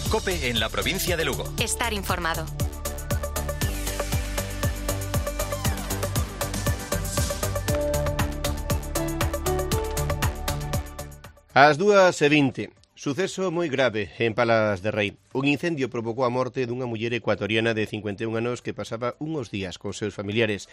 COPE en la provincia de Lugo. Estar informado. Ás 2:20, suceso moi grave en Palas de Rei. Un incendio provocou a morte dunha muller ecuatoriana de 51 anos que pasaba uns días con seus familiares.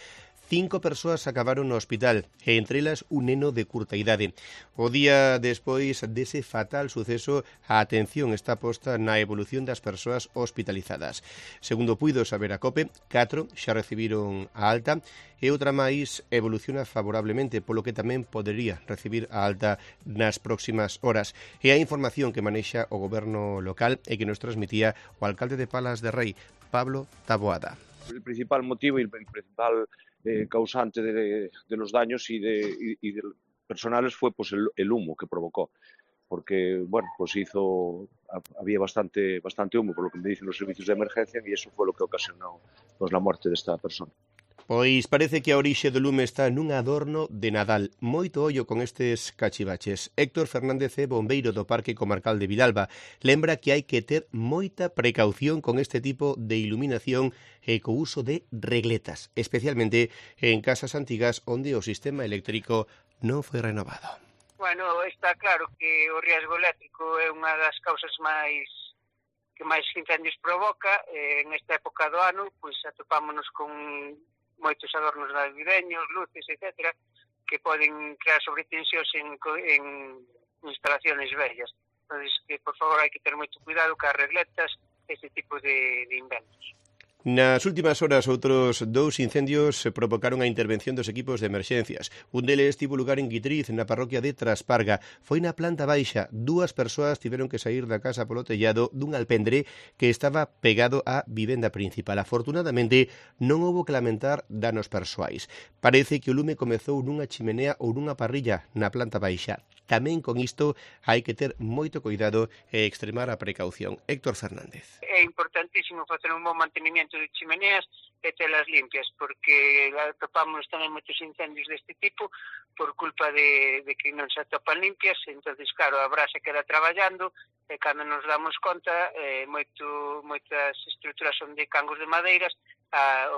5 persoas acabaron no hospital, e entre elas un neno de curta idade. O día despois dese fatal suceso, a atención está posta na evolución das persoas hospitalizadas. Segundo puido saber a COPE, 4 xa recibiron a alta e outra máis evoluciona favorablemente, polo que tamén podería recibir a alta nas próximas horas. E a información que manexa o goberno local e que nos transmitía o alcalde de Palas de Rei, Pablo Taboada. El principal motivo y el principal causante de los daños y de personales fue pues el humo que provocó, porque bueno, pues había bastante humo, por lo que me dicen los servicios de emergencia, y eso fue lo que ocasionó pues la muerte de esta persona. Pois parece que a orixe do lume está nun adorno de Nadal. Moito ollo con estes cachivaches. Héctor Fernández é bombeiro do Parque Comarcal de Vilalba. Lembra que hai que ter moita precaución con este tipo de iluminación e co uso de regletas, especialmente en casas antigas onde o sistema eléctrico non foi renovado. Bueno, está claro que o riesgo eléctrico é unha das causas que máis incendios provoca. En esta época do ano, pois atopámonos con moitos adornos navideños, luces, etc., que poden crear sobretensións en instalaciones vellas. Entón, que, por favor, hai que ter moito cuidado cas regletas, este tipo de inventos. Nas últimas horas, outros 2 incendios provocaron a intervención dos equipos de emerxencias. Un deles tivo lugar en Guitriz, na parroquia de Trasparga. Foi na planta baixa. 2 persoas tiveron que sair da casa polo tellado dun alpendre que estaba pegado á vivenda principal. Afortunadamente, non houbo que lamentar danos persoais. Parece que o lume comezou nunha chimenea ou nunha parrilla na planta baixa. Tamén con isto hai que ter moito cuidado e extremar a precaución. Héctor Fernández. É importantísimo facer un bon mantenimiento de chimeneas e telas limpias, porque atopamos tamén moitos incendios deste tipo por culpa de que non se atopan limpias. Entonces, claro, a brasa queda traballando e cando nos damos conta, moitas estruturas son de cangos de madeiras,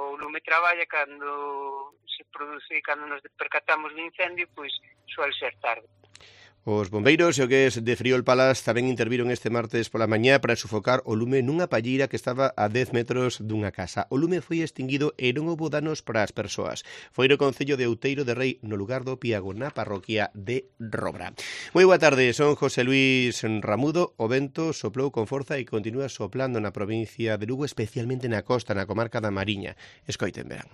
o lume traballa cando se produce, cando nos percatamos de incendio, pois suele ser tarde. Os bombeiros e o que es de Friol Palas tamén interviron este martes pola mañá para sufocar o lume nunha palleira que estaba a 10 metros dunha casa. O lume foi extinguido e non houbo danos para as persoas. Foi no concello de Outeiro de Rei, no lugar do Piago, na parroquia de Robra. Moi boa tarde, son José Luis Ramudo. O vento soplou con forza e continúa soplando na provincia de Lugo, especialmente na costa, na comarca da Mariña. Escoiten, verán.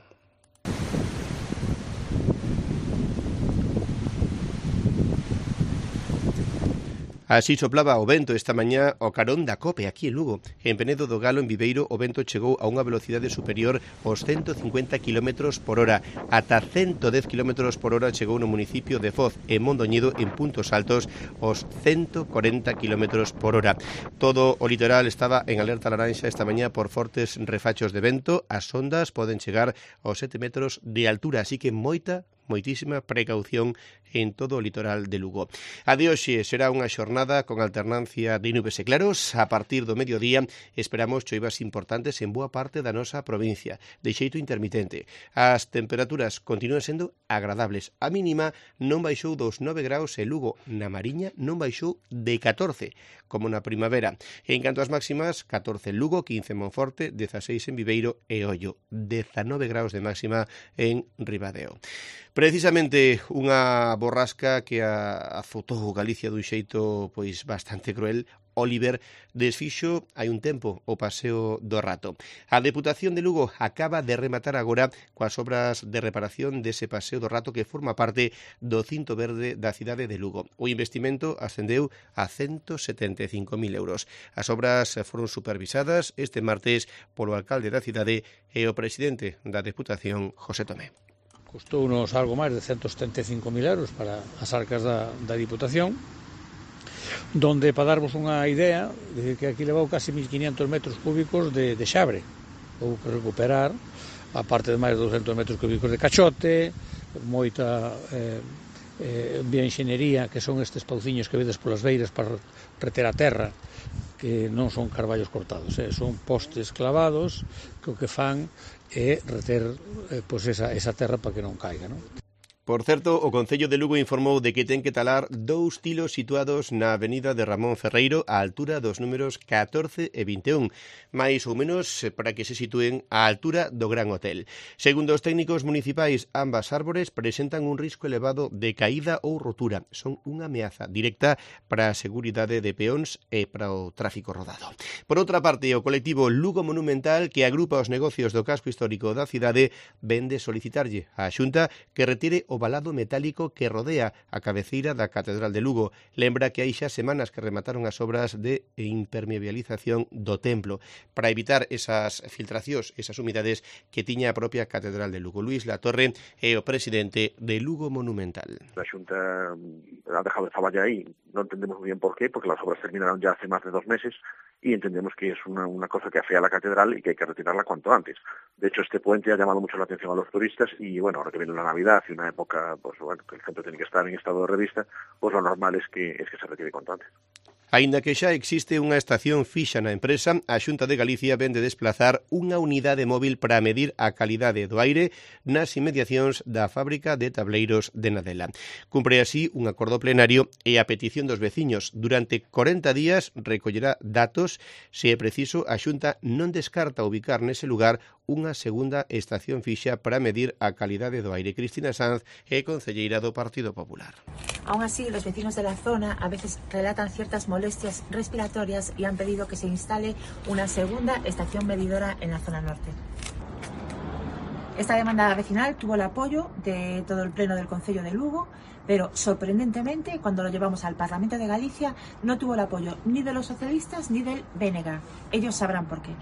Así soplaba o vento esta mañá ao carón da COPE aquí en Lugo. En Penedo do Galo, en Viveiro, o vento chegou a unha velocidade superior aos 150 km por hora. Ata 110 km por hora chegou no municipio de Foz, en Mondoñedo, en puntos altos, aos 140 km por hora. Todo o litoral estaba en alerta laranxa esta mañá por fortes refachos de vento. As ondas poden chegar aos 7 metros de altura, así que moitísima precaución en todo o litoral de Lugo. A de hoxe será unha xornada con alternancia de nubes e claros. A partir do mediodía esperamos choivas importantes en boa parte da nosa provincia, de xeito intermitente. As temperaturas continúan sendo agradables. A mínima non baixou dos 9 graus en Lugo. Na Mariña non baixou de 14, como na primavera. En canto ás máximas, 14 en Lugo, 15 en Monforte, 16 en Viveiro e Ollo, 19 graus de máxima en Ribadeo. Precisamente unha borrasca que azotou Galicia dun xeito pois bastante cruel. Oliver desfixo hai un tempo o paseo do Rato. A Deputación de Lugo acaba de rematar agora coas obras de reparación dese paseo do Rato que forma parte do cinto verde da cidade de Lugo. O investimento ascendeu a 175.000 euros. As obras foron supervisadas este martes polo alcalde da cidade e o presidente da Deputación, José Tomé. Custounos algo máis de 175.000 euros para as arcas da Diputación, donde, para darvos unha idea, que aquí levou casi 1.500 metros cúbicos de xabre. Houve que recuperar, a parte de máis de 200 metros cúbicos de cachote, moita bioenxeñería, que son estes pauciños que vedes polas beiras para reter a terra, non son carballos cortados, son postes clavados que o que fan é reter pois esa terra para que non caiga, non? Por certo, o Concello de Lugo informou de que ten que talar 2 tilos situados na avenida de Ramón Ferreiro á altura dos números 14 e 21, máis ou menos para que se sitúen á altura do Gran Hotel. Segundo os técnicos municipais, ambas árbores presentan un risco elevado de caída ou rotura. Son unha ameaza directa para a seguridade de peóns e para o tráfico rodado. Por outra parte, o colectivo Lugo Monumental, que agrupa os negocios do casco histórico da cidade, vende solicitarlle á Xunta que retire o valado metálico que rodea a cabeceira da Catedral de Lugo. Lembra que hai xa semanas que remataron as obras de impermeabilización do templo para evitar esas filtracións, esas humidades que tiña a propia Catedral de Lugo. Luís Latorre é o presidente de Lugo Monumental. La Xunta ha dejado de traballar aí. No entendemos muy bien por qué, porque las obras terminaron ya hace más de 2 meses y entendemos que es una cosa que afea a la catedral y que hay que retirarla cuanto antes. De hecho, este puente ha llamado mucho la atención a los turistas y, bueno, ahora que viene la Navidad y una época, pues bueno, que el centro tiene que estar en estado de revista, pues lo normal es que se retire cuanto antes. Aínda que xa existe unha estación fixa na empresa, a Xunta de Galicia vende desplazar unha unidade móvil para medir a calidade do aire nas inmediacións da fábrica de tableiros de Nadela. Cumpre así un acordo plenario e a petición dos veciños. Durante 40 días recollerá datos. Se é preciso, a Xunta non descarta ubicar nese lugar unha segunda estación fixa para medir a calidade do aire. Cristina Sanz é concelleira do Partido Popular. Aún así, los vecinos de la zona a veces relatan ciertas molestias respiratorias y han pedido que se instale una segunda estación medidora en la zona norte. Esta demanda vecinal tuvo el apoyo de todo el pleno del Concello de Lugo, pero sorprendentemente, cuando lo llevamos al Parlamento de Galicia, no tuvo el apoyo ni de los socialistas ni del BNG. Ellos sabrán por qué.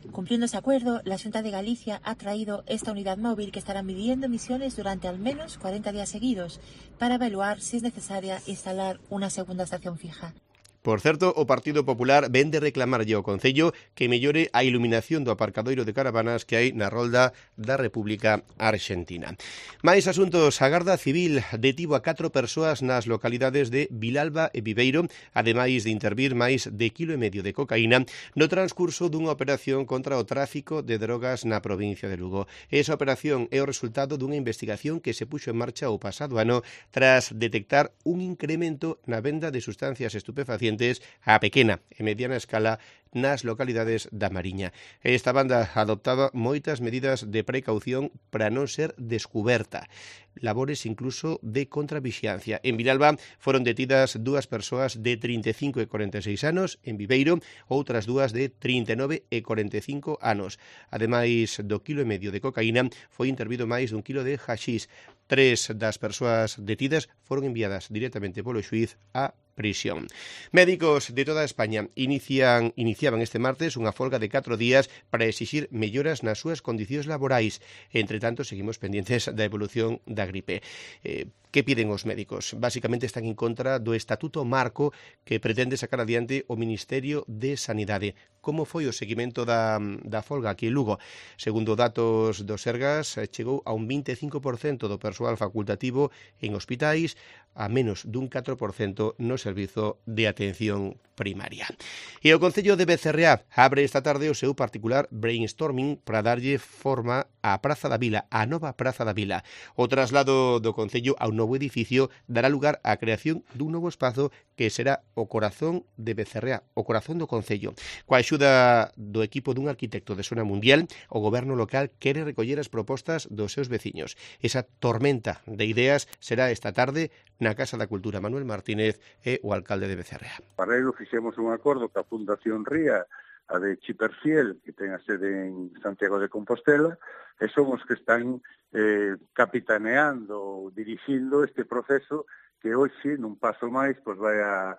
Cumpliendo ese acuerdo, la Xunta de Galicia ha traído esta unidad móvil que estará midiendo emisiones durante al menos 40 días seguidos para evaluar si es necesaria instalar una segunda estación fija. Por certo, o Partido Popular vende reclamarlle ao Concello que mellore a iluminación do aparcadoiro de caravanas que hai na rolda da República Argentina. Mais asuntos, a Garda Civil detivo a 4 persoas nas localidades de Vilalba e Viveiro, ademais de intervir máis de 1,5 kg de cocaína no transcurso dunha operación contra o tráfico de drogas na provincia de Lugo. Esa operación é o resultado dunha investigación que se puxo en marcha o pasado ano tras detectar un incremento na venda de sustancias estupefacientes a pequena e mediana escala nas localidades da Mariña. Esta banda adoptaba moitas medidas de precaución para non ser descuberta, labores incluso de contravixiancia. En Vilalba foron detidas 2 persoas de 35 e 46 anos, en Viveiro outras 2 de 39 e 45 anos. Ademais do 1,5 kg de cocaína, foi intervido máis dun kilo de haxís. 3 das persoas detidas foron enviadas directamente polo xuíz a prisión. Médicos de toda España iniciaban este martes unha folga de 4 días para exixir melloras nas súas condicións laborais. Entre tanto, seguimos pendientes da evolución da gripe. Que piden os médicos? Básicamente están en contra do Estatuto Marco que pretende sacar adiante o Ministerio de Sanidade. Como foi o seguimento da folga aquí en Lugo? Segundo datos do Sergas, chegou a un 25% do persoal facultativo en hospitais, a menos dun 4% no servizo de atención primaria. E o Concello de Becerreá abre esta tarde o seu particular brainstorming para darlle forma á Praza da Vila, a nova Praza da Vila. O traslado do Concello ao novo edificio dará lugar á creación dun novo espazo que será o corazón de Becerreá, o corazón do Concello. Coa axuda do equipo dun arquitecto de zona mundial, o goberno local quere recoller as propostas dos seus veciños. Esa tormenta de ideas será esta tarde na Casa da Cultura. Manuel Martínez é o alcalde de Becerreá. Para ello fixemos un acordo ca Fundación Ría, a de Chiperfiel, que ten a sede en Santiago de Compostela, e son os que están capitaneando, dirixindo este proceso que hoxe, nun paso máis, pois vai a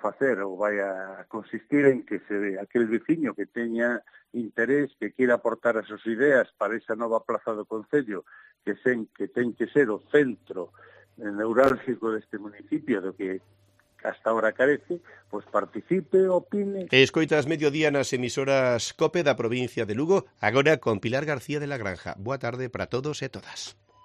facer ou vai a consistir en que aquel veciño que teña interés, que queira aportar as súas ideas para esa nova plaza do Concello, que ten que ser o centro neurálgico deste municipio, do que hasta ahora carece, pois participe, opine. Escoitas mediodía nas emisoras COPE da provincia de Lugo, agora con Pilar García de la Granja. Boa tarde para todos e todas.